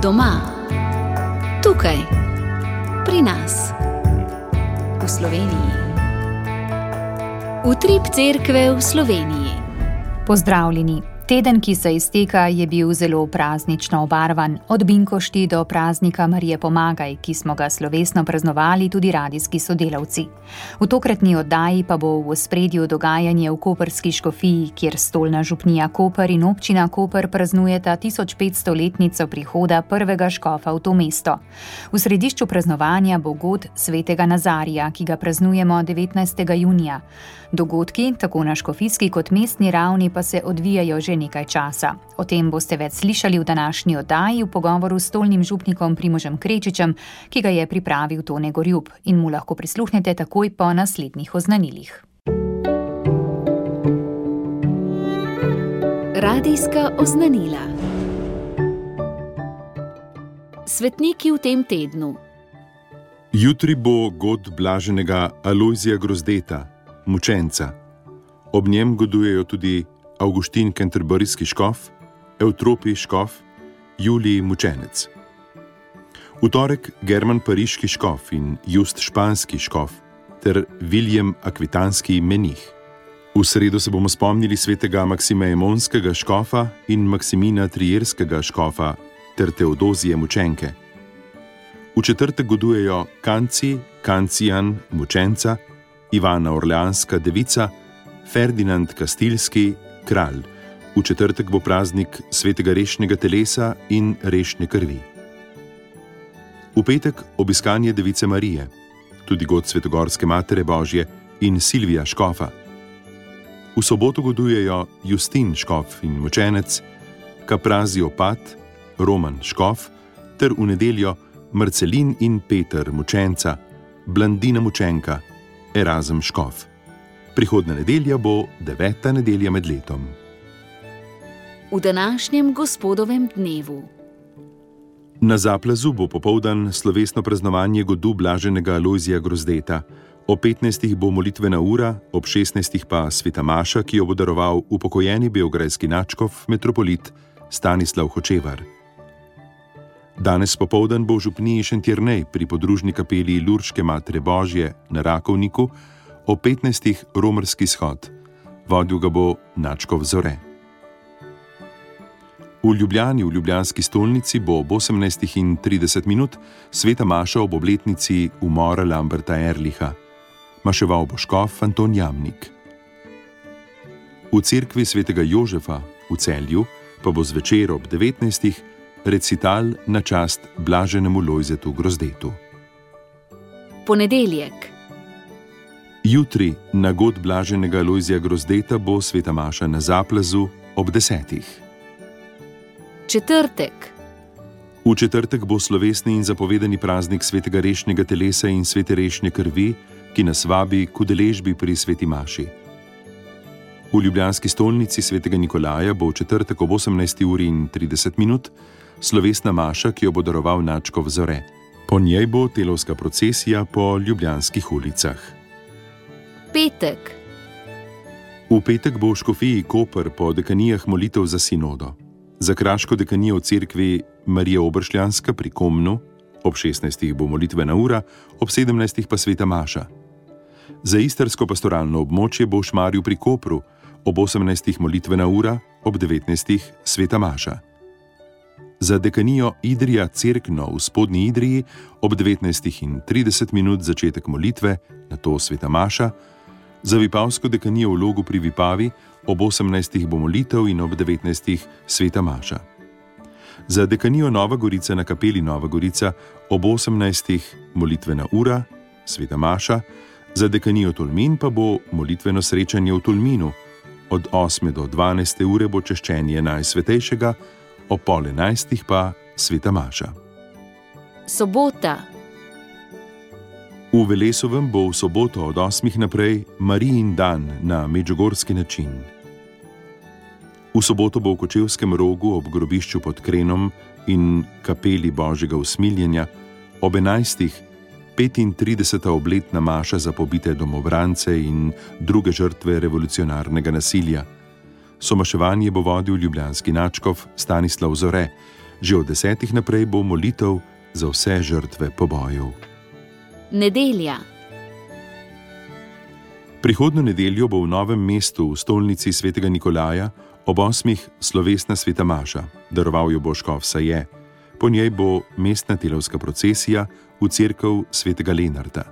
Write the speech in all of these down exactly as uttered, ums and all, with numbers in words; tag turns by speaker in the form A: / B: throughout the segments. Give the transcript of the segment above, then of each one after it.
A: Doma, tukaj, pri nas, v Sloveniji. Utrip cerkve v Sloveniji.
B: Pozdravljeni. Teden, ki se izteka, je bil zelo praznično obarvan, od binkošti do praznika Marije Pomagaj, ki smo ga slovesno praznovali tudi radijski sodelavci. V tokratni oddaji pa bo v ospredju dogajanje v koprski škofiji, kjer stolna župnija Koper in občina Koper praznujeta tisoč petstoletnico prihoda prvega škofa v to mesto. V središču praznovanja bo god svetega Nazarija, ki ga praznujemo devetnajstega junija. Dogodki, tako na škofijski kot mestni ravni, pa se odvijajo že nekaj časa. O tem boste več slišali v današnji oddaji v pogovoru s stolnim župnikom Primožem Krečičem, ki ga je pripravil Tone Gorjup, in mu lahko prisluhnete takoj po naslednjih oznanilih.
A: Radijska oznanila. Svetniki v tem tednu.
C: Jutri bo god blaženega Alojzija Grozdeta, mučenca. Ob njem godujejo tudi Avguštin Kenterburijski škof, Evtropi škof, Julij mučenec. V torek German Pariški škof in Just španski škof ter Viljem akvitanski menih. V sredo se bomo spomnili svetega Maksima Emonskega škofa in Maksimina Trierskega škofa ter Teodozije mučenke. V četrtek godujejo Kanci, Kancijan mučenca, Ivana Orleanska devica, Ferdinand Kastilski kralj. V četrtek bo praznik svetega rešnega telesa in rešne krvi. V petek obiskanje device Marije, tudi god Svetogorske matere Božje in Silvija škofa. V soboto godujejo Justin škof in mučenec, Kaprazio Pat, Roman škof ter v nedeljo Marcelin in Peter mučenca, Blandina mučenka, Erazem škof. Prihodnja nedelja bo deveta nedelja med letom.
A: V današnjem gospodovem dnevu.
C: Na Zaplazu bo popoldan slovesno praznovanje godu blaženega Alojzija Grozdeta. Ob petnajstih bo molitvena ura, ob šestnajstih pa sveta maša, ki jo bo daroval upokojeni beograjski nadškof metropolit Stanislav Hočevar. Danes popoldan bo v župniji Šentjernej pri podružni kapeli Lurške matere Božje na Rakovniku ob petnajstih romarski shod. Vodil ga bo nadškof Zore. V Ljubljani, v ljubljanski stolnici, bo ob osemnajstih in trideset minut sveta maša ob obletnici umora Lamberta Erliha. Maševal bo škof Anton Jamnik. V cerkvi svetega Jožefa v Celju pa bo zvečer ob devetnajstih recital na čast blaženemu Lojzetu Grozdetu.
A: Ponedeljek.
C: Jutri na god blaženega Alojzija Grozdeta bo sveta maša na Zaplazu ob desetih.
A: Četrtek.
C: V četrtek bo slovesni in zapovedani praznik svetega rešnega telesa in svete rešne krvi, ki nas vabi k udeležbi pri sveti maši. V ljubljanski stolnici svetega Nikolaja bo v četrtek ob osemnajsti uri in trideset minut slovesna maša, ki jo bo daroval nadškof Zore. Po njej bo telovska procesija po ljubljanskih ulicah.
A: Petek.
C: V petek bo v škofiji Koper po dekanijah molitev za sinodo. Za kraško dekanijo v cerkvi Marija Obršljanska pri Komnu, ob šestnajstih bo molitvena ura, ob sedemnajstih pa sveta maša. Za istrsko pastoralno območje bo v Šmarju pri Kopru, ob osemnajstih molitvena ura, ob devetnajstih sveta maša. Za dekanijo Idrija Cerkno v spodnji Idriji ob devetnajstih in trideset minut začetek molitve, nato sveta maša. Za vipavsko dekanijo v Logu pri Vipavi ob osemnajstih bo molitev in ob devetnajstih sveta maša. Za dekanijo Nova Gorica na kapeli Nova Gorica ob osemnajstih molitvena ura, sveta maša. Za dekanijo Tolmin pa bo molitveno srečanje v Tolminu. Od osme do dvanajste ure bo češčenje Najsvetejšega, ob pol enajstih pa sveta maša.
A: Sobota.
C: V Velesovem bo v soboto od osmih naprej Marijin dan na medžugorski način. V soboto bo v Kočevskem rogu ob grobišču pod Krenom in kapeli Božjega usmiljenja ob enajstih petintrideseta obletna maša za pobite domobrance in druge žrtve revolucionarnega nasilja. Somaševanje bo vodil ljubljanski nadškof Stanislav Zore, Že od desetih naprej bo molitev za vse žrtve pobojev.
A: Nedelja.
C: Prihodnjo nedeljo bo v Novem mestu v stolnici svetega Nikolaja ob osmih slovesna sveta maša, daroval jo bo škof Saje. Po njej bo mestna telovska procesija v cerkev svetega Lenarta.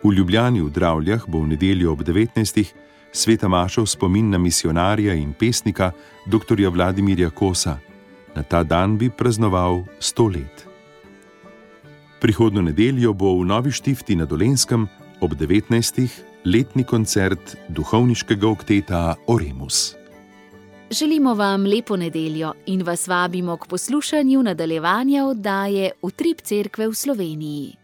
C: V Ljubljani v Dravljah bo v nedeljo ob devetnajstih sveta maša v spomin na misionarja in pesnika doktorja Vladimirja Kosa. Na ta dan bi praznoval sto let. Prihodnjo nedeljo bo v Novi Štifti na Dolenjskem ob devetnajstih letni koncert duhovniškega okteta Oremus.
A: Želimo vam lepo nedeljo in vas vabimo k poslušanju nadaljevanja oddaje Utrip cerkve v Sloveniji.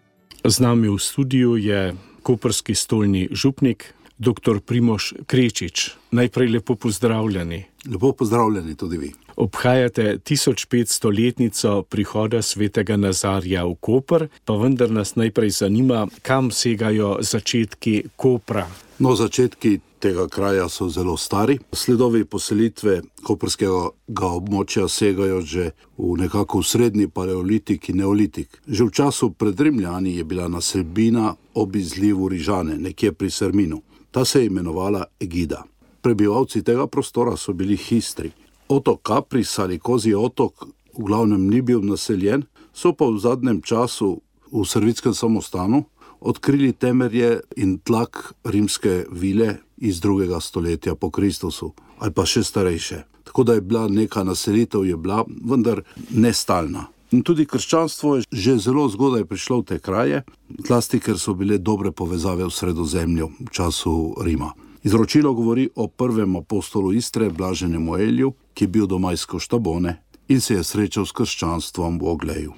D: Z nami v studiu je koprski stolni župnik, doktor Primož Krečič. Najprej lepo pozdravljeni.
E: Lepo pozdravljeni tudi vi.
D: Obhajate tisoč petsto letnico prihoda svetega Nazarja v Koper, pa vendar nas najprej zanima, kam segajo začetki Kopra.
E: No, začetki tega kraja so zelo stari. Sledovi poselitve koprskega območja segajo že v nekako v srednji paleolitik in neolitik. Že v času pred Rimljani je bila naselbina ob izlivu Rižane, nekje pri Serminu. Ta se je imenovala Egida. Prebivalci tega prostora so bili Histri. Otok Kapris ali Kozji otok v glavnem ni bil naseljen, so pa v zadnjem času v Servitskem samostanu odkrili temelje in tlak rimske vile iz drugega stoletja po Kristusu, ali pa še starejše. Tako da je bila neka naselitev, je bila, vendar nestalna. In tudi krščanstvo je že zelo zgodaj prišlo v te kraje, zlasti ker so bile dobre povezave v Sredozemlju v času Rima. Izročilo govori o prvem apostolu Istre, blaženemu Eliju, ki je bil doma iz Koštabone in se je srečal s krščanstvom v Ogleju.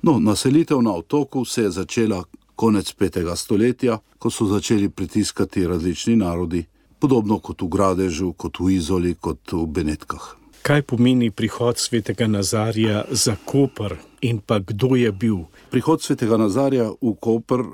E: No, naselitev na otoku se je začela konec petega stoletja, ko so začeli pritiskati različni narodi, podobno kot v Gradežu, kot v Izoli, kot v Benetkah.
D: Kaj pomeni prihod svetega Nazarja za Koper in pa kdo je bil?
E: Prihod svetega Nazarja v Koper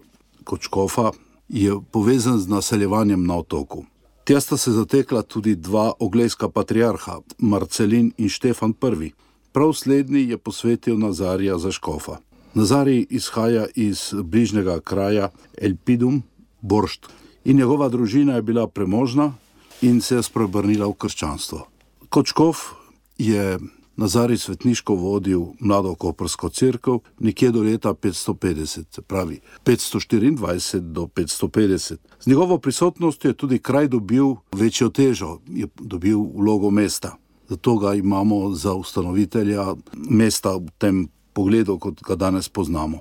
E: kot škofa je povezan z naseljevanjem na otoku. Tja sta se zatekla tudi dva oglejska patriarha, Marcelin in Štefan prvi. Prav slednji je posvetil Nazarja za škofa. Nazarij izhaja iz bližnjega kraja Elpidum, Boršt, in njegova družina je bila premožna in se je spreobrnila v krščanstvo. Kot škof je Nazarij svetniško vodil mlado koprsko cerkev nekje do leta petsto petdeset, se pravi petsto štiriindvajset do petsto petdeset. Z njegovo prisotnostjo je tudi kraj dobil večjo težo, je dobil vlogo mesta. Zato ga imamo za ustanovitelja mesta v tem pogledu, kot ga danes poznamo.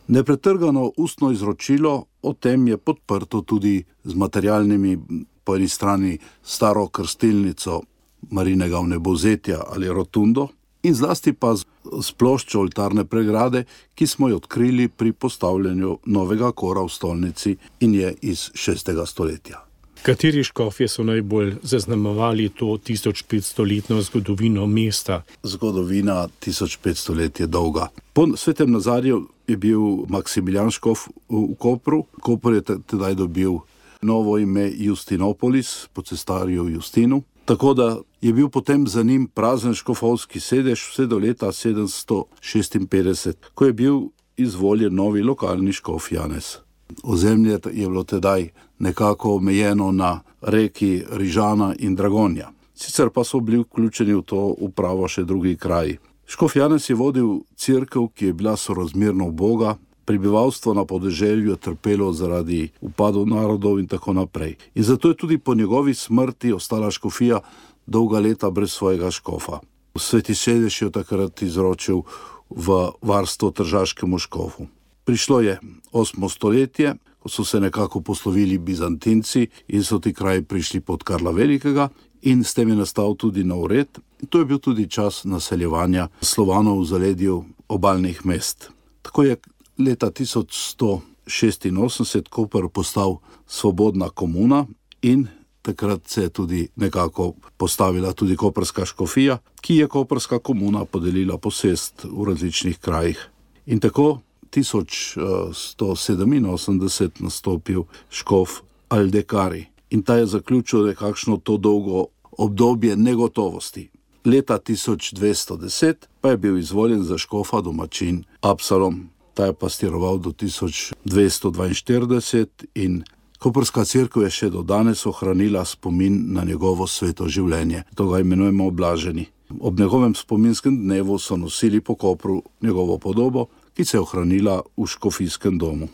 E: Nepretrgano ustno izročilo o tem je podprto tudi z materialnimi, po eni strani staro krstilnico Marinega vnebovzetja ali rotundo in zlasti pa z, z ploščo oltarne pregrade, ki smo jo odkrili pri postavljanju novega kora v stolnici in je iz šestega stoletja.
D: Kateri škofje so najbolj zaznamovali to tisoč petstoletno zgodovino mesta?
E: Zgodovina tisoč petsto let je dolga. Po svetem Nazarju je bil Maksimilijan škof v Kopru. Koper je tedaj dobil novo ime Justinopolis po cesarju Justinu. Tako da je bil potem za njim prazen škofovski sedež vse do leta sedemsto šestinpetdeset, ko je bil izvoljen novi lokalni škof Janez. Ozemlje je bilo tedaj nekako omejeno na reki Rižana in Dragonja. Sicer pa so bili vključeni v to upravo še drugi kraji. Škof Janez je vodil cerkev, ki je bila sorazmerno uboga, prebivalstvo na podeželju je trpelo zaradi upadov narodov in tako naprej. In zato je tudi po njegovi smrti ostala škofija dolga leta brez svojega škofa. Sveti sedež je takrat izročil v varstvo tržaškemu škofu. Prišlo je osmo stoletje, ko so se nekako poslovili Bizantinci in so ti kraji prišli pod Karla Velikega in s tem je nastal tudi nov red. In to je bil tudi čas naseljevanja Slovanov v zaledju obalnih mest. Tako je leta tisoč sto šestinosemdeset Koper postal svobodna komuna in takrat se je tudi nekako postavila tudi koprska škofija, ki je koprska komuna podelila posest v različnih krajih. In tako tisoč sto sedeminosemdeset nastopil škof Aldekari in ta je zaključil nekakšno to dolgo obdobje negotovosti. Leta tisoč dvesto deset pa je bil izvoljen za škofa domačin Absalom. Ta je pastiroval do tisoč dvesto dvainštirideset in koprska cerkev je še do danes ohranila spomin na njegovo sveto življenje. To ga imenujemo Blaženi. Ob njegovem spominskem dnevu so nosili po Kopru njegovo podobo, ki se je ohranila v škofijskem domu.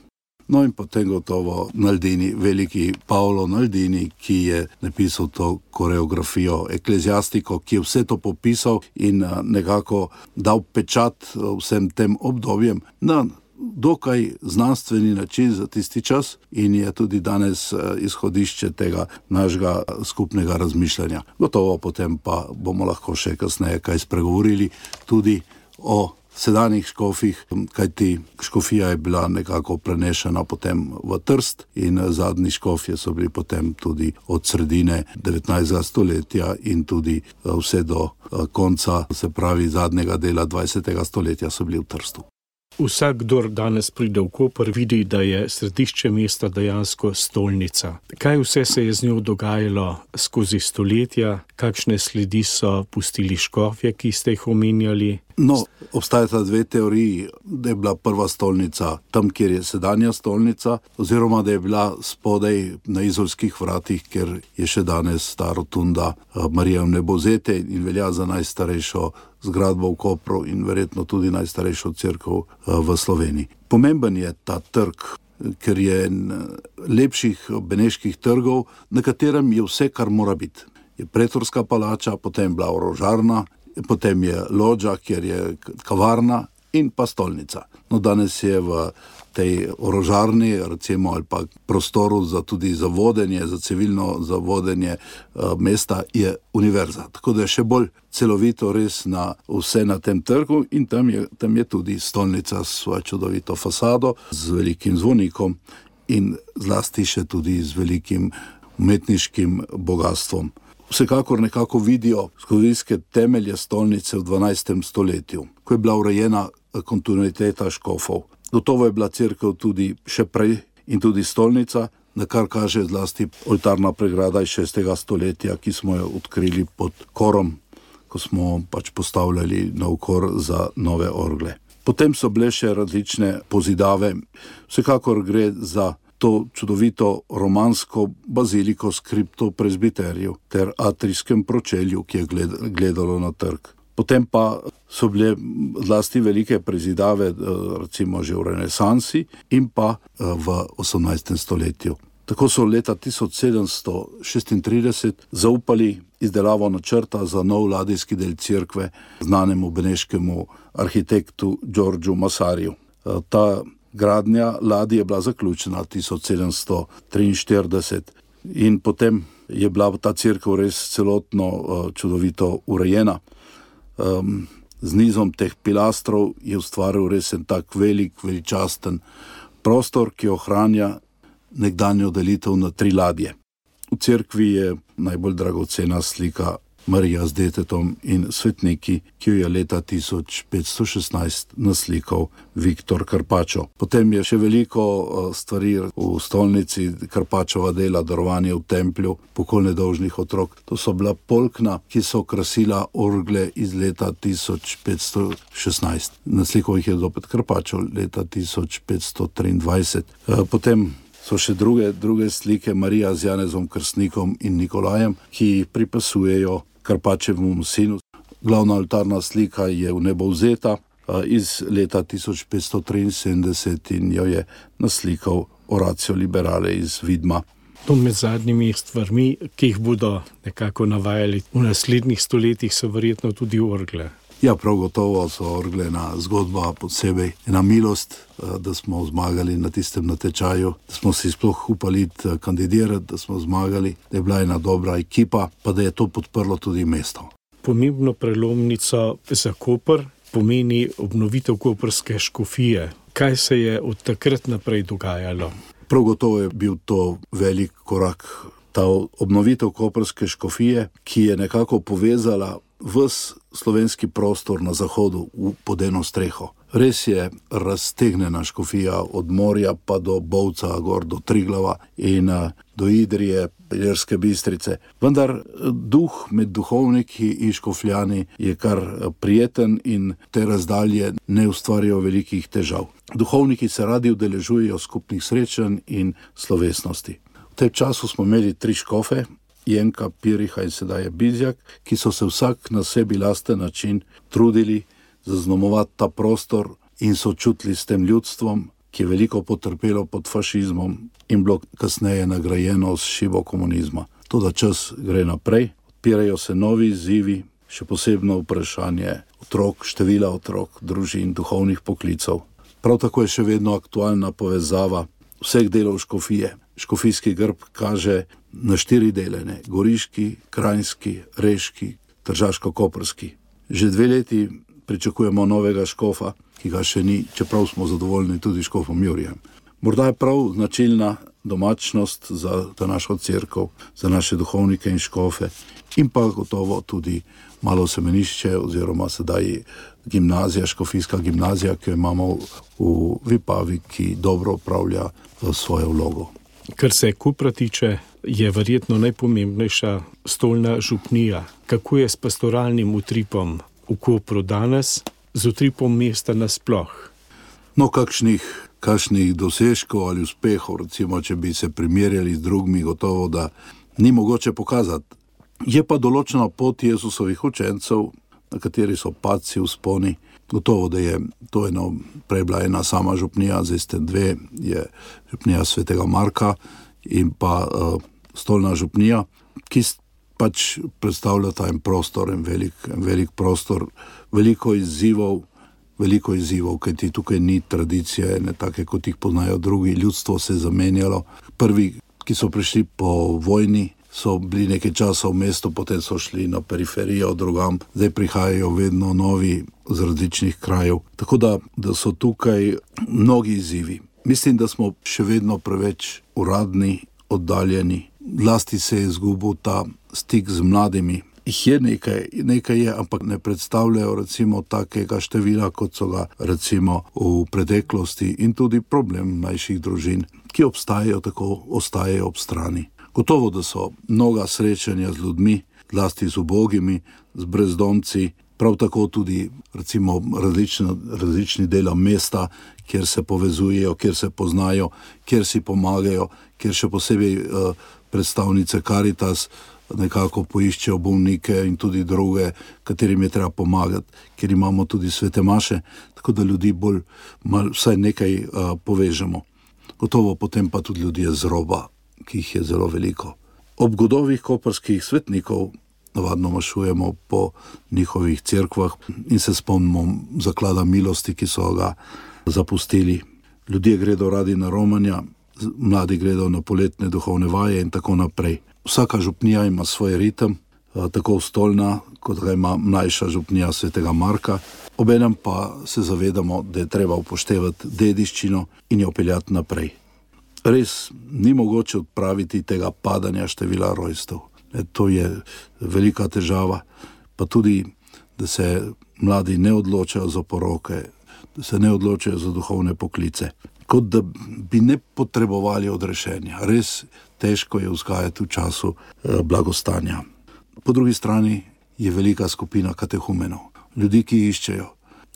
E: No in potem gotovo Naldini, veliki Paolo Naldini, ki je napisal to koreografijo Ekleziastiko, ki je vse to popisal in nekako dal pečat vsem tem obdobjem na dokaj znanstveni način za tisti čas in je tudi danes izhodišče tega našega skupnega razmišljanja. Gotovo potem pa bomo lahko še kasneje kaj spregovorili tudi o sedanjih škofih, kajti škofija je bila nekako prenešena potem v Trst in zadnji škofje so bili potem tudi od sredine devetnajstega stoletja in tudi vse do konca, se pravi zadnjega dela dvajsetega stoletja so bili v Trstu.
D: Vsak, kdor danes pride v Koper, vidi, da je središče mesta dejansko stolnica. Kaj vse se je z njo dogajalo skozi stoletja, kakšne sledi so pustili škofje, ki ste jih omenjali?
E: No, obstajata dve teoriji, da je bila prva stolnica tam, kjer je sedanja stolnica, oziroma da je bila spodaj na Izolskih vratih, ker je še danes ta rotunda Marije Vnebovzete in velja za najstarejšo zgradbo v Kopru in verjetno tudi najstarejšo cerkev v Sloveniji. Pomemben je ta trg, ker je lepših beneških trgov, na katerem je vse, kar mora biti. Je pretorska palača, potem bila orožarna, potem je lođa, kjer je kavarna in pa stolnica. No, danes je v tej orožarni, recimo, ali pa prostoru za tudi za vodenje, za civilno za vodenje uh, mesta je univerza. Tako da je še bolj celovito res na vse na tem trgu in tam je, tam je tudi stolnica s svojo čudovito fasado, z velikim zvonikom in zlasti še tudi z velikim umetniškim bogatstvom. Vsekakor nekako vidijo zgodovinske temelje stolnice v dvanajstem stoletju, ko je bila urejena kontinuiteta škofov. Gotovo je bila cerkev tudi še prej in tudi stolnica, na kar kaže zlasti oltarna pregrada iz šestega stoletja, ki smo jo odkrili pod korom, ko smo pač postavljali nov kor za nove orgle. Potem so bile še različne pozidave. Vsekakor gre za to čudovito romansko baziliko s kriptopresbiteriju ter atrijskem pročelju, ki je gledalo na trg. Potem pa so bile zlasti velike prezidave, recimo že v renesansi in pa v osemnajstem stoletju. Tako so leta tisoč sedemsto šestintrideset zaupali izdelavo načrta za nov ladijski del cerkve znanemu beneškemu arhitektu Giorgiu Massariju. Ta gradnja ladje je bila zaključena tisoč sedemsto triinštirideset in potem je bila ta cerkev res celotno čudovito urejena. Um, z nizom teh pilastrov je ustvaril res en tak velik, veličasten prostor, ki ohranja nekdanjo delitev na tri ladje. V cerkvi je najbolj dragocena slika Marija z detetom in svetniki, ki jo je leta tisoč petsto šestnajst naslikal Viktor Carpaccio. Potem je še veliko stvari v stolnici, Carpacciova dela, darovanje v templju, pokol nedolžnih otrok. To so bila polkna, ki so krasila orgle iz leta tisoč petsto šestnajst. Naslikal jih je zopet Carpaccio leta tisoč petsto triindvajset. Potem so še druge, druge slike Marija z Janezom Krstnikom in Nikolajem, ki jih pripasujejo Carpacciovemu sinu. Glavna oltarna slika je Vnebovzeta iz leta tisoč petsto triinsedemdeset in jo je naslikal Orazio Liberale iz Vidma.
D: To med zadnjimi stvarmi, ki jih bodo nekako navajali v naslednjih stoletjih, so verjetno tudi orgle.
E: Ja, prav gotovo so orgle ena zgodba posebej, ena milost, da smo zmagali na tistem natečaju, da smo si sploh upali kandidirati, da smo zmagali, da je bila ena dobra ekipa, pa da je to podprlo tudi mesto.
D: Pomembno prelomnico za Koper pomeni obnovitev koprske škofije. Kaj se je od takrat naprej dogajalo?
E: Prav gotovo je bil to velik korak. Ta obnovitev koprske škofije, ki je nekako povezala ves slovenski prostor na zahodu pod eno streho. Res je raztegnjena škofija od morja pa do Bovca, gor do Triglava in do Idrije, Ilirske Bistrice. Vendar duh med duhovniki in škofljani je kar prijeten in te razdalje ne ustvarjajo velikih težav. Duhovniki se radi udeležujejo skupnih srečanj in slovesnosti. V tem času smo imeli tri škofe, Jenka, Piriha in sedaj je Bizjak, ki so se vsak na sebi lasten način trudili zaznamovati ta prostor in so čutili s tem ljudstvom, ki je veliko potrpelo pod fašizmom in bilo kasneje nagrajeno s šibo komunizma. Toda čas gre naprej, odpirajo se novi izzivi, še posebno vprašanje otrok, števila otrok, družin, duhovnih poklicev. Prav tako je še vedno aktualna povezava vseh delov škofije. Škofijski grb kaže na štiri delene, goriški, krajinski, reški, tržaško-koprski. Že dve leti pričakujemo novega škofa, ki ga še ni, čeprav smo zadovoljni tudi škofom Jurijem. Morda je prav značilna domačnost za našo cerkev, za naše duhovnike in škofe in pa gotovo tudi malo semenišče oziroma sedaj gimnazija, škofijska gimnazija, ki jo imamo v Vipavi, ki dobro upravlja svojo vlogo.
D: Kar se Kopra tiče, je verjetno najpomembnejša stolna župnija. Kako je s pastoralnim utripom v Kopru danes, z utripom mesta nasploh?
E: No, kakšnih, kakšnih dosežkov ali uspehov, recimo, če bi se primerjali z drugimi, gotovo, da ni mogoče pokazati. Je pa določena pot Jezusovih učencev, na kateri so padci, vzponi. Gotovo, da je to eno, prej bila ena sama župnija, zdaj ste dve, je župnija svetega Marka in pa uh, stolna župnija, ki pač predstavlja ta en prostor, en velik, en velik prostor, veliko izzivov, veliko izzivov, kajti tukaj ni tradicije, ne take, kot jih poznajo drugi, ljudstvo se je zamenjalo. Prvi, ki so prišli po vojni, so bili nekaj časa v mestu, potem so šli na periferijo drugam, zdaj prihajajo vedno novi z različnih krajev. Tako da, da so tukaj mnogi izzivi. Mislim, da smo še vedno preveč uradni, oddaljeni. Lasti se je izgubil ta stik z mladimi. Jih je nekaj, nekaj je, ampak ne predstavljajo recimo takega števila, kot so ga recimo v preteklosti in tudi problem mlajših družin, ki obstajajo, tako ostajajo ob strani. Gotovo, da so mnoga srečanja z ljudmi, zlasti z ubogimi, z brezdomci, prav tako tudi recimo različni, različni dela mesta, kjer se povezujejo, kjer se poznajo, kjer si pomagajo, kjer še posebej uh, predstavnice Caritas nekako poiščejo bolnike in tudi druge, katerim je treba pomagati, ker imamo tudi svete maše, tako da ljudi bolj, mal, vsaj nekaj uh, povežemo. Gotovo potem pa tudi ljudje z roba, ki jih je zelo veliko. Ob godovih koprskih svetnikov navadno mašujemo po njihovih cerkvah in se spomnimo zaklada milosti, ki so ga zapustili. Ljudje gredo radi na romanja, mladi gredo na poletne duhovne vaje in tako naprej. Vsaka župnija ima svoj ritem, tako stolna, kot ga ima mlajša župnija svetega Marka. Obenem pa se zavedamo, da je treba upoštevati dediščino in jo peljati naprej. Res ni mogoče odpraviti tega padanja števila rojstev. To je velika težava, pa tudi, da se mladi ne odločajo za poroke, da se ne odločajo za duhovne poklice, kot da bi ne potrebovali odrešenja. Res težko je vzgajati v času blagostanja. Po drugi strani je velika skupina katehumenov, ljudi, ki iščejo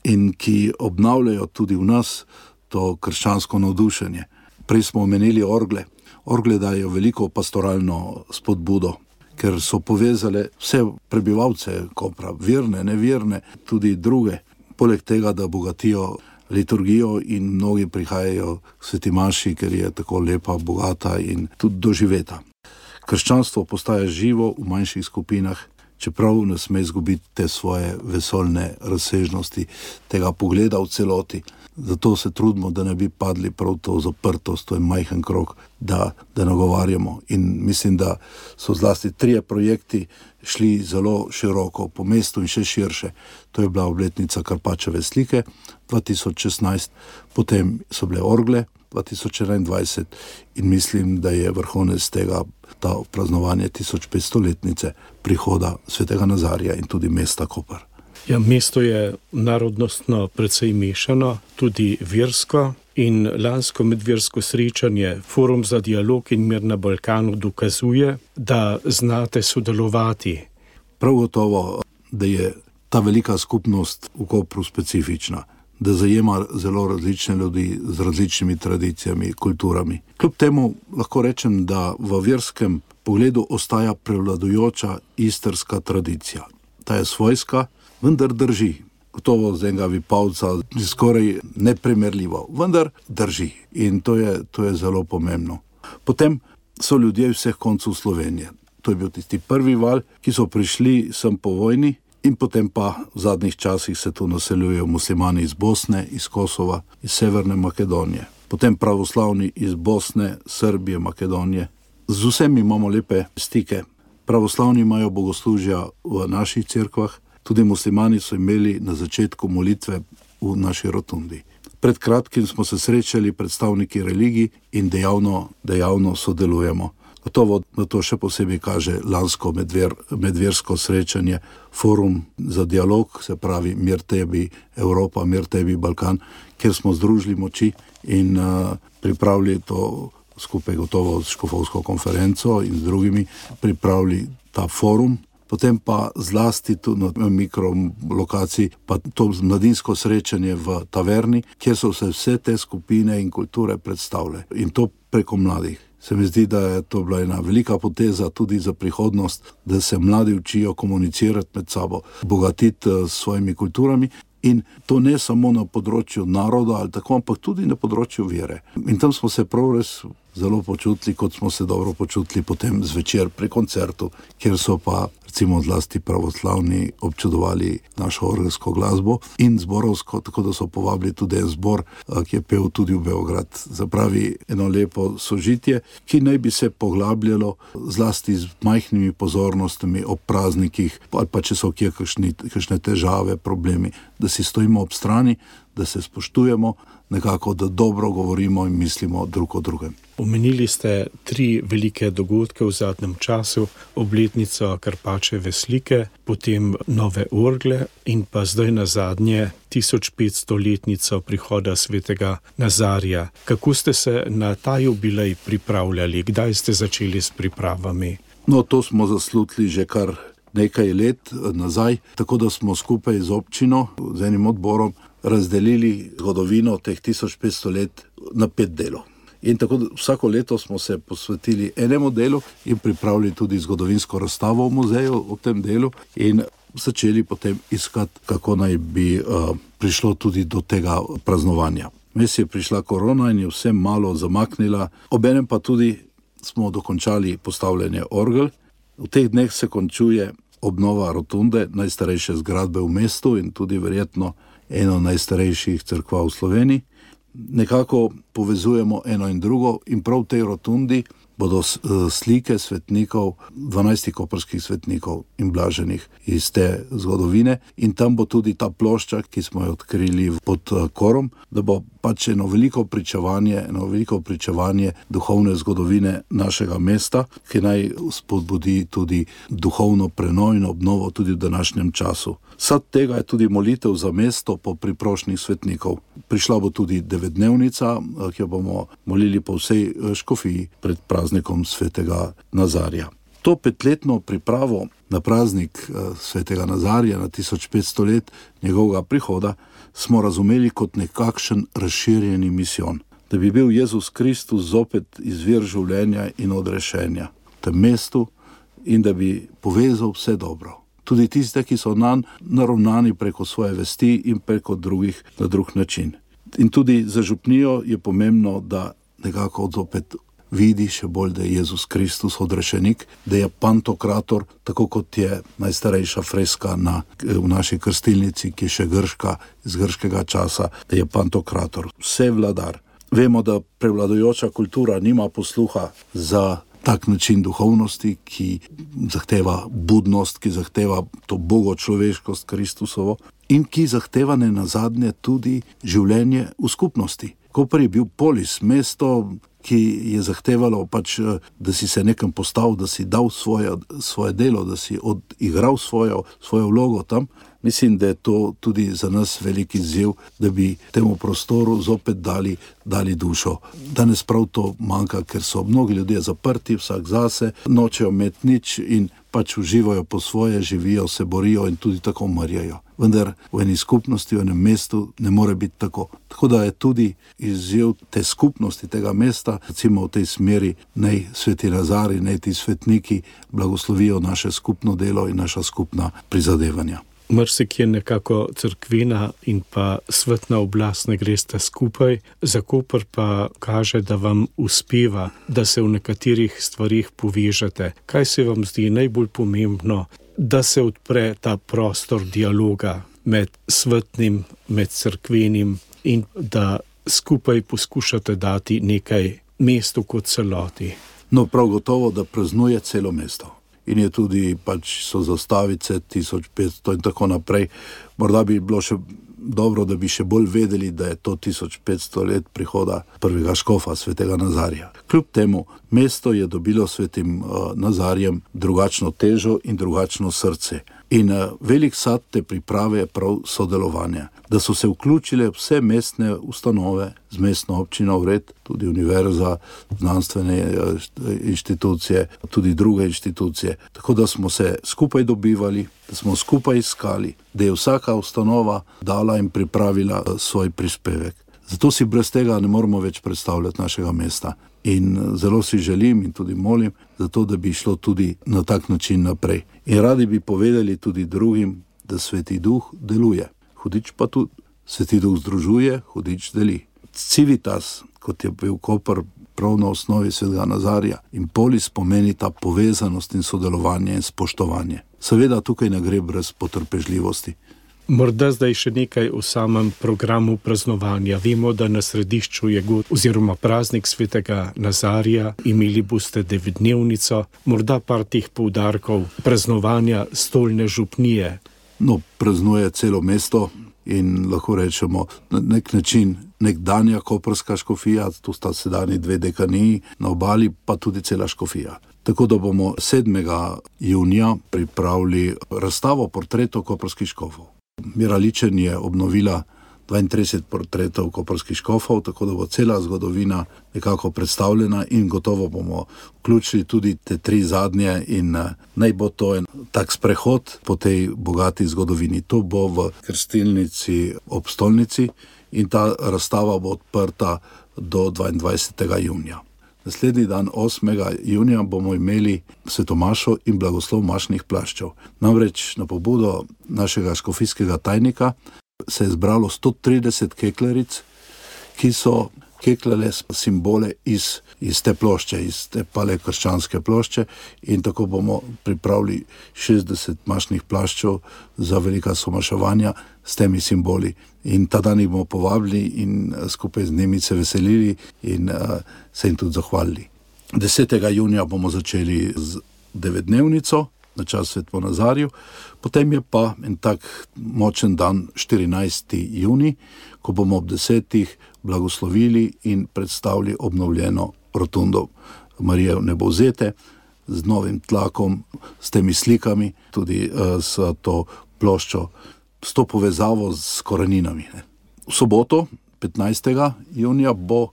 E: in ki obnavljajo tudi v nas to krščansko navdušenje. Prej smo omenili orgle. Orgle dajo veliko pastoralno spodbudo, ker so povezale vse prebivalce Kopra, verne, neverne, tudi druge. Poleg tega, da bogatijo liturgijo in mnogi prihajajo k sveti maši, ker je tako lepa, bogata in tudi doživeta. Krščanstvo postaja živo v manjših skupinah, čeprav ne sme izgubiti te svoje vesoljne razsežnosti, tega pogleda v celoti. Zato se trudimo, da ne bi padli prav to zaprtost, to je majhen krog, da, da nagovarjamo. In mislim, da so zlasti trije projekti šli zelo široko po mestu in še širše. To je bila obletnica Karpačeve slike dva tisoč šestnajst, potem so bile orgle dva tisoč enaindvajset in mislim, da je vrhunec tega ta praznovanje tisoč petstoletnice prihoda svetega Nazarja in tudi mesta Koper.
D: Ja, mesto je narodnostno precej mešano, tudi versko. In lansko medversko srečanje, Forum za dialog in mir na Balkanu, dokazuje, da znate sodelovati.
E: Prav gotovo, da je ta velika skupnost v Kopru specifična, da zajema zelo različne ljudi z različnimi tradicijami, kulturami. Kljub temu lahko rečem, da v verskem pogledu ostaja prevladujoča istrska tradicija. Ta je svojska, vendar drži. Gotovo z enega Vipavca skoraj neprimerljivo, vendar drži in to je, to je zelo pomembno. Potem so ljudje vseh koncev Slovenije. To je bil tisti prvi val, ki so prišli sem po vojni in potem pa v zadnjih časih se tu naseljujejo muslimani iz Bosne, iz Kosova, iz Severne Makedonije. Potem pravoslavni iz Bosne, Srbije, Makedonije. Z vsemi imamo lepe stike. Pravoslavni imajo bogoslužja v naših cerkvah, tudi muslimani so imeli na začetku molitve v naši rotundi. Pred kratkim smo se srečali predstavniki religij in dejavno, dejavno sodelujemo. Gotovo na to še posebej kaže lansko medver, medversko srečanje, Forum za dialog, se pravi Mir tebi Evropa, Mir tebi Balkan, kjer smo združili moči in uh, pripravili to skupaj gotovo s škofovsko konferenco in z drugimi, pripravili ta forum. Potem pa zlasti tu na mikrolokaciji, pa to mladinsko srečanje v taverni, kjer so se vse te skupine in kulture predstavile. In to preko mladih. Se mi zdi, da je to bila ena velika poteza tudi za prihodnost, da se mladi učijo komunicirati med sabo, bogatiti s svojimi kulturami. In to ne samo na področju naroda ali tako, ampak tudi na področju vere. In tam smo se prav res zelo počutili, kot smo se dobro počutili potem zvečer pri koncertu, kjer so pa recimo zlasti pravoslavni občudovali našo orgelsko glasbo in zborovsko, tako da so povabili tudi en zbor, ki je pel tudi v Beograd. Zapravi eno lepo sožitje, ki naj bi se poglabljalo zlasti z majhnimi pozornostmi ob praznikih, ali pa če so kje kakšni, kakšne težave, problemi, da si stojimo ob strani, da se spoštujemo, nekako, da dobro govorimo in mislimo drug o drugem.
D: Omenili ste tri velike dogodke v zadnjem času, obletnico Karpačeve slike, potem nove orgle in pa zdaj na zadnje tisoč petstoletnico prihoda svetega Nazarija. Kako ste se na ta jubilej pripravljali? Kdaj ste začeli s pripravami?
E: No, to smo zaslutili že kar nekaj let nazaj, tako da smo skupaj z občino, z enim odborom, razdelili zgodovino teh tisoč petsto let na pet delov. In tako vsako leto smo se posvetili enemu delu in pripravili tudi zgodovinsko razstavo v muzeju v tem delu in začeli potem iskati, kako naj bi uh, prišlo tudi do tega praznovanja. Mes je prišla korona in je vse malo zamaknila, obenem pa tudi smo dokončali postavljanje orgel. V teh dneh se končuje obnova rotunde, najstarejše zgradbe v mestu in tudi verjetno eno najstarejših cerkva v Sloveniji. Nekako povezujemo eno in drugo in prav v tej rotundi bodo slike svetnikov, dvanajstih koprskih svetnikov in blaženih iz te zgodovine in tam bo tudi ta plošča, ki smo jo odkrili pod korom, da bo pač eno veliko pričevanje, eno veliko pričevanje duhovne zgodovine našega mesta, ki naj spodbudi tudi duhovno prenovo in obnovo tudi v današnjem času. Sad tega je tudi molitev za mesto po priprošnjih svetnikov. Prišla bo tudi devetdnevnica, ki jo bomo molili po vsej škofiji pred praznikom svetega Nazarja. To petletno pripravo na praznik svetega Nazarja na tisoč petsto let njegovega prihoda smo razumeli kot nekakšen razširjeni misijon, da bi bil Jezus Kristus zopet izvir življenja in odrešenja v tem mestu in da bi povezal vse dobro. Tudi tiste, ki so nanj naravnani preko svoje vesti in preko drugih na drug način. In tudi za župnijo je pomembno, da nekako zopet vidi še bolj, da je Jezus Kristus odrešenik, da je pantokrator, tako kot je najstarejša freska na, v naši krstilnici, ki je še grška, iz grškega časa, da je pantokrator, vse vladar. Vemo, da prevladujoča kultura nima posluha za tak način duhovnosti, ki zahteva budnost, ki zahteva to bogočloveškost Kristusovo in ki zahteva ne nazadnje tudi življenje v skupnosti. Koper je bil polis, mesto, ki je zahtevalo pač, da si se nekam postavil, da si dal svoje, svoje delo, da si odigral svojo, svojo vlogo tam Mislim, da je to tudi za nas veliki izziv, da bi temu prostoru zopet dali, dali dušo. Danes prav to manjka, ker so mnogi ljudje zaprti, vsak zase, nočejo imeti nič in pač uživajo po svoje, živijo, se borijo in tudi tako umrjajo. Vendar v eni skupnosti, v enem mestu ne more biti tako. Tako da je tudi izziv te skupnosti, tega mesta, recimo v tej smeri, naj sveti Nazarij, naj ti svetniki blagoslovijo naše skupno delo in naša skupna prizadevanja.
D: Marsikje nekako cerkvena in pa svetna oblast ne gresta skupaj, za Koper pa kaže, da vam uspeva, da se v nekaterih stvarih povežete. Kaj se vam zdi najbolj pomembno, da se odpre ta prostor dialoga med svetnim, med cerkvenim in da skupaj poskušate dati nekaj mestu kot celoti?
E: No, prav gotovo, da praznuje celo mesto. In je tudi, pač so zastavice tisoč petsto in tako naprej. Morda bi bilo še dobro, da bi še bolj vedeli, da je to tisoč petsto let prihoda prvega škofa, svetega Nazarija. Kljub temu, mesto je dobilo svetim uh, Nazarjem drugačno težo in drugačno srce. In uh, velik sad te priprave je prav sodelovanje. Da so se vključile vse mestne ustanove z mestno občino Vred, tudi univerza, znanstvene uh, inštitucije, tudi druge inštitucije. Tako da smo se skupaj dobivali, da smo skupaj iskali, da je vsaka ustanova dala in pripravila uh, svoj prispevek. Zato si brez tega ne moramo več predstavljati našega mesta. In zelo si želim in tudi molim, zato da bi šlo tudi na tak način naprej. In radi bi povedali tudi drugim, da Sveti Duh deluje. Hudič pa tudi. Sveti Duh združuje, hudič deli. Civitas, kot je bil Koper prav na osnovi svetega Nazarija, in polis pomeni ta povezanost in sodelovanje in spoštovanje. Seveda tukaj ne gre brez potrpežljivosti.
D: Morda zdaj še nekaj o samem programu praznovanja. Vemo, da na središču je god oziroma praznik svetega Nazarija, imeli boste devetdnevnico, morda par teh poudarkov praznovanja stolne župnije.
E: No, praznuje celo mesto in lahko rečemo na nek način nekdanja koprska škofija, tu sta sedanji dve dekaniji, na obali pa tudi cela škofija. Tako da bomo sedmega junija pripravili razstavo portretov koprskih škofov. Mira Ličen je obnovila dvaintrideset portretov koprskih škofov, tako da bo cela zgodovina nekako predstavljena in gotovo bomo vključili tudi te tri zadnje in naj bo to en tak sprehod po tej bogati zgodovini. To bo v krstilnici ob stolnici in ta razstava bo odprta do dvaindvajsetega junija. Naslednji dan, osmega junija, bomo imeli svetomašo in blagoslov mašnih plaščev. Namreč na pobudo našega škofijskega tajnika se je zbralo sto trideset kekleric, ki so keklale simbole iz, iz te plošče, iz te palekrščanske plošče, in tako bomo pripravili šestdeset mašnih plaščev za velika somaševanja s temi simboli. In ta dan jih bomo povabili in skupaj z njimi se veselili in uh, se jim tudi zahvalili. desetega junija bomo začeli z devetdnevnico na čas Svetemu Nazariju, potem je pa en tak močen dan štirinajsti junij, ko bomo ob desetih blagoslovili in predstavili obnovljeno rotundo Marije Vnebovzete z novim tlakom, s temi slikami, tudi uh, s to ploščo, s to povezavo s koreninami. Ne. V soboto, petnajstega junija, bo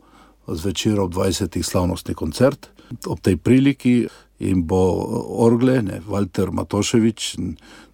E: zvečer ob dvajsetih slavnostni koncert. Ob tej priliki in bo orgle, ne, Walter Matoševič,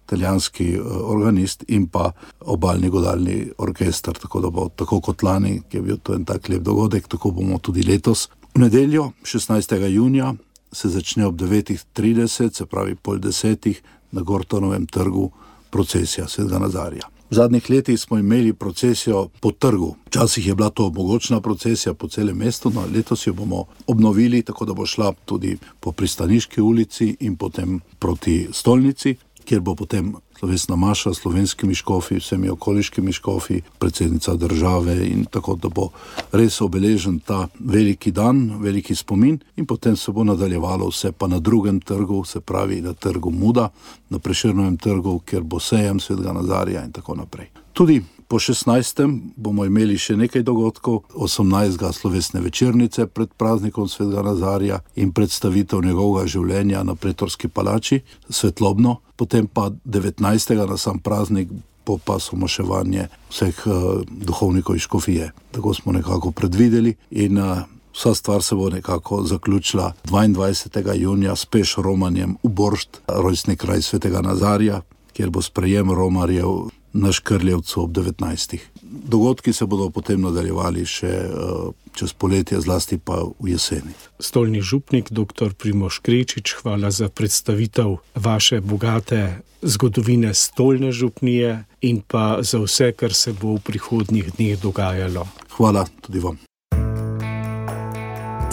E: italijanski organist, in pa obalni godalni orkester, tako da bo tako kot lani, ki je bil to en tak lep dogodek, tako bomo tudi letos. V nedeljo, šestnajstega junija, se začne ob devetih trideset, se pravi pol desetih, na Gortonovem trgu procesija svetega Nazarija. V zadnjih letih smo imeli procesijo po trgu. Včasih je bila to mogočna procesija po celem mestu, no letos jo bomo obnovili, tako da bo šla tudi po Pristaniški ulici in potem proti stolnici, kjer bo potem slovesna maša s slovenskimi škofi, vsemi okoliškimi škofi, predsednica države, in tako da bo res obeležen ta veliki dan, veliki spomin, in potem se bo nadaljevalo vse pa na drugem trgu, se pravi na trgu Muda, na Prešernovem trgu, kjer bo sejem svetega Nazarija in tako naprej. Tudi Po šestnajstem bomo imeli še nekaj dogodkov, osemnajstega slovesne večernice pred praznikom svetega Nazarja in predstavitev njegovega življenja na Pretorski palači, svetlobno, potem pa devetnajstega na sam praznik bo pa somoševanje vseh uh, duhovnikov iz škofije. Tako smo nekako predvideli in uh, vsa stvar se bo nekako zaključila dvaindvajsetega junija s peš romanjem v Boršt, rojstni kraj svetega Nazarja, kjer bo sprejem romarjev na Škrljevcu ob devetnajstih. Dogodki se bodo potem nadaljevali še uh, čez poletje, zlasti pa v jeseni.
D: Stolni župnik, doktor Primož Krečič, hvala za predstavitev vaše bogate zgodovine stolne župnije in pa za vse, kar se bo v prihodnjih dneh dogajalo.
E: Hvala tudi vam.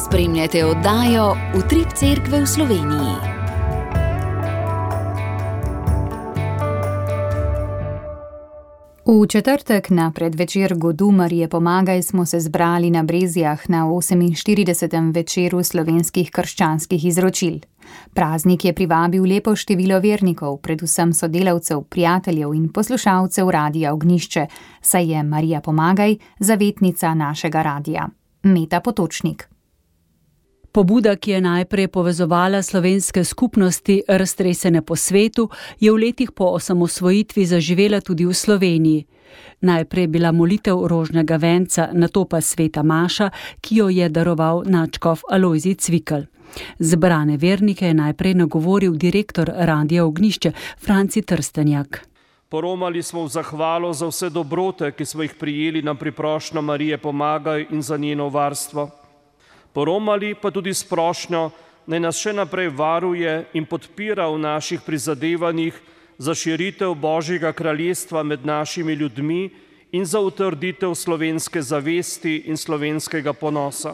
A: Spremljate oddajo Utrip cerkve v Sloveniji.
B: V četrtek na predvečer godu Marije Pomagaj smo se zbrali na Brezjah na oseminštiridesetem večeru slovenskih krščanskih izročil. Praznik je privabil lepo število vernikov, predvsem sodelavcev, prijateljev in poslušalcev Radia Ognjišče, saj je Marija Pomagaj zavetnica našega radia. Meta Potočnik.
F: Pobuda, ki je najprej povezovala slovenske skupnosti, raztresene po svetu, je v letih po osamosvojitvi zaživela tudi v Sloveniji. Najprej je bila molitev rožnega venca, nato pa sveta maša, ki jo je daroval nadškof Alojzij Cvikl. Zbrane vernike je najprej nagovoril direktor Radia Ognjišče Franci Trstenjak.
G: Poromali smo v zahvalo za vse dobrote, ki smo jih prijeli na priprošnjo Marije Pomagaj in za njeno varstvo. Poromali pa tudi s prošnjo, naj nas še naprej varuje in podpira v naših prizadevanjih za širitev Božjega kraljestva med našimi ljudmi in za utrditev slovenske zavesti in slovenskega ponosa.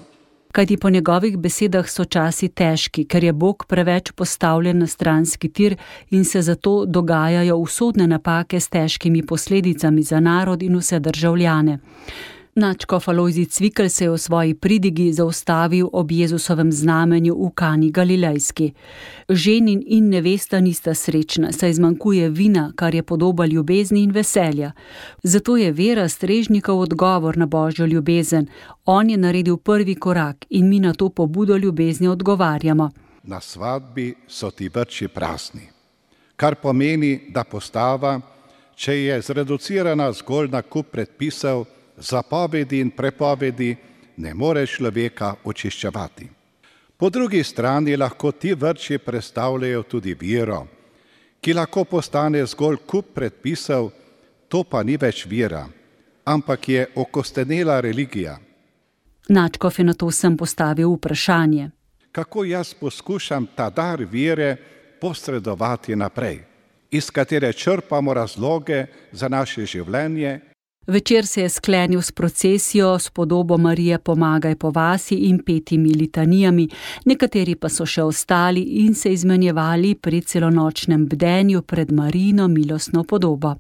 F: Kajti po njegovih besedah so časi težki, ker je Bog preveč postavljen na stranski tir in se zato dogajajo usodne napake s težkimi posledicami za narod in vse državljane. Nadškof Alojzij Cvikl se je v svoji pridigi zaustavil ob Jezusovem znamenju v Kani Galilejski. Ženin in nevesta nista srečna, saj zmanjkuje vina, kar je podoba ljubezni in veselja. Zato je Vera Strežnikov odgovor na Božjo ljubezen. On je naredil prvi korak in mi na to pobudo ljubezni odgovarjamo.
H: Na svadbi so ti vrči prazni, kar pomeni, da postava, če je zreducirana zgolj na kup predpisov, zapovedi in prepovedi, ne more človeka očiščevati. Po drugi strani lahko ti vrči predstavljajo tudi vero, ki lahko postane zgolj kup predpisov, to pa ni več vera, ampak je okostenela religija.
F: Nadškof je na to sem postavil vprašanje.
H: Kako jaz poskušam ta dar vere posredovati naprej, iz katere črpamo razloge za naše življenje.
F: Večer se je sklenil s procesijo s podobo Marije Pomagaj po vasi in petimi litanijami, nekateri pa so še ostali in se izmenjevali pri celonočnem bdenju pred Marijino milostno podobo.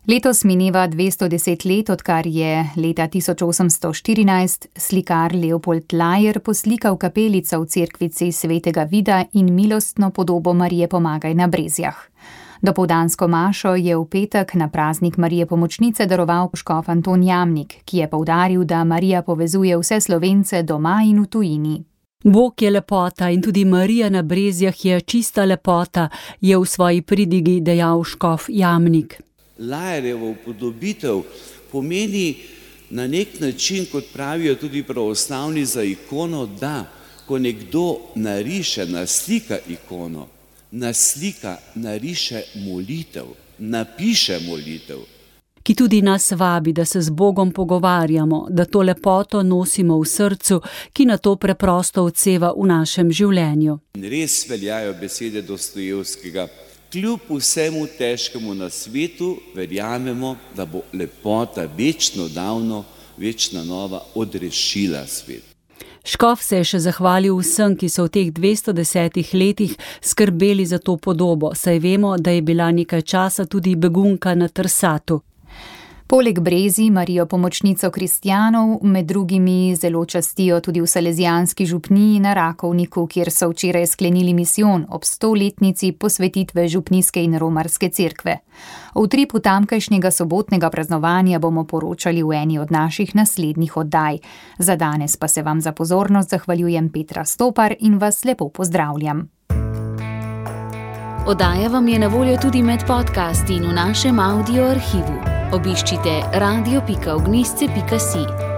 B: Letos mineva dvesto deset let, odkar je leta tisoč osemsto štirinajst slikar Leopold Lajer poslikal kapelico v cerkvici svetega Vida in milostno podobo Marije Pomagaj na Brezjah. Dopoldansko mašo je v petek na praznik Marije Pomočnice daroval škof Anton Jamnik, ki je poudaril, da Marija povezuje vse Slovence doma in v tujini.
F: Bog je lepota in tudi Marija na Brezjah je čista lepota, je v svoji pridigi dejal škof Jamnik.
I: Lajerjevo upodobitev pomeni na nek način, kot pravijo tudi pravoslavni za ikono, da ko nekdo nariše, naslika ikono, naslika, nariše molitev, napiše molitev.
F: Ki tudi nas vabi, da se z Bogom pogovarjamo, da to lepoto nosimo v srcu, ki na to preprosto odseva v našem življenju.
I: In res veljajo besede Dostojevskega. Kljub vsemu težkemu na svetu, verjamemo, da bo lepota večno davno, večna nova odrešila svet.
F: Škof se je še zahvalil vsem, ki so v teh dvesto desetih letih skrbeli za to podobo, saj vemo, da je bila nekaj časa tudi begunka na Trsatu.
B: Poleg Brezi Marijo pomočnico kristjanov med drugimi zelo častijo tudi v Salezijanski župniji na Rakovniku, kjer so včeraj sklenili misijon ob stoletnici posvetitve župnijske in romarske cerkve. O utripu tamkajšnjega sobotnega praznovanja bomo poročali v eni od naših naslednjih oddaj. Za danes pa se vam za pozornost zahvaljujem Petra Stopar in vas lepo pozdravljam.
A: Oddaja vam je na voljo tudi med podcasti in v našem audio arhivu. Obiščite radio pika ognjišče pika si.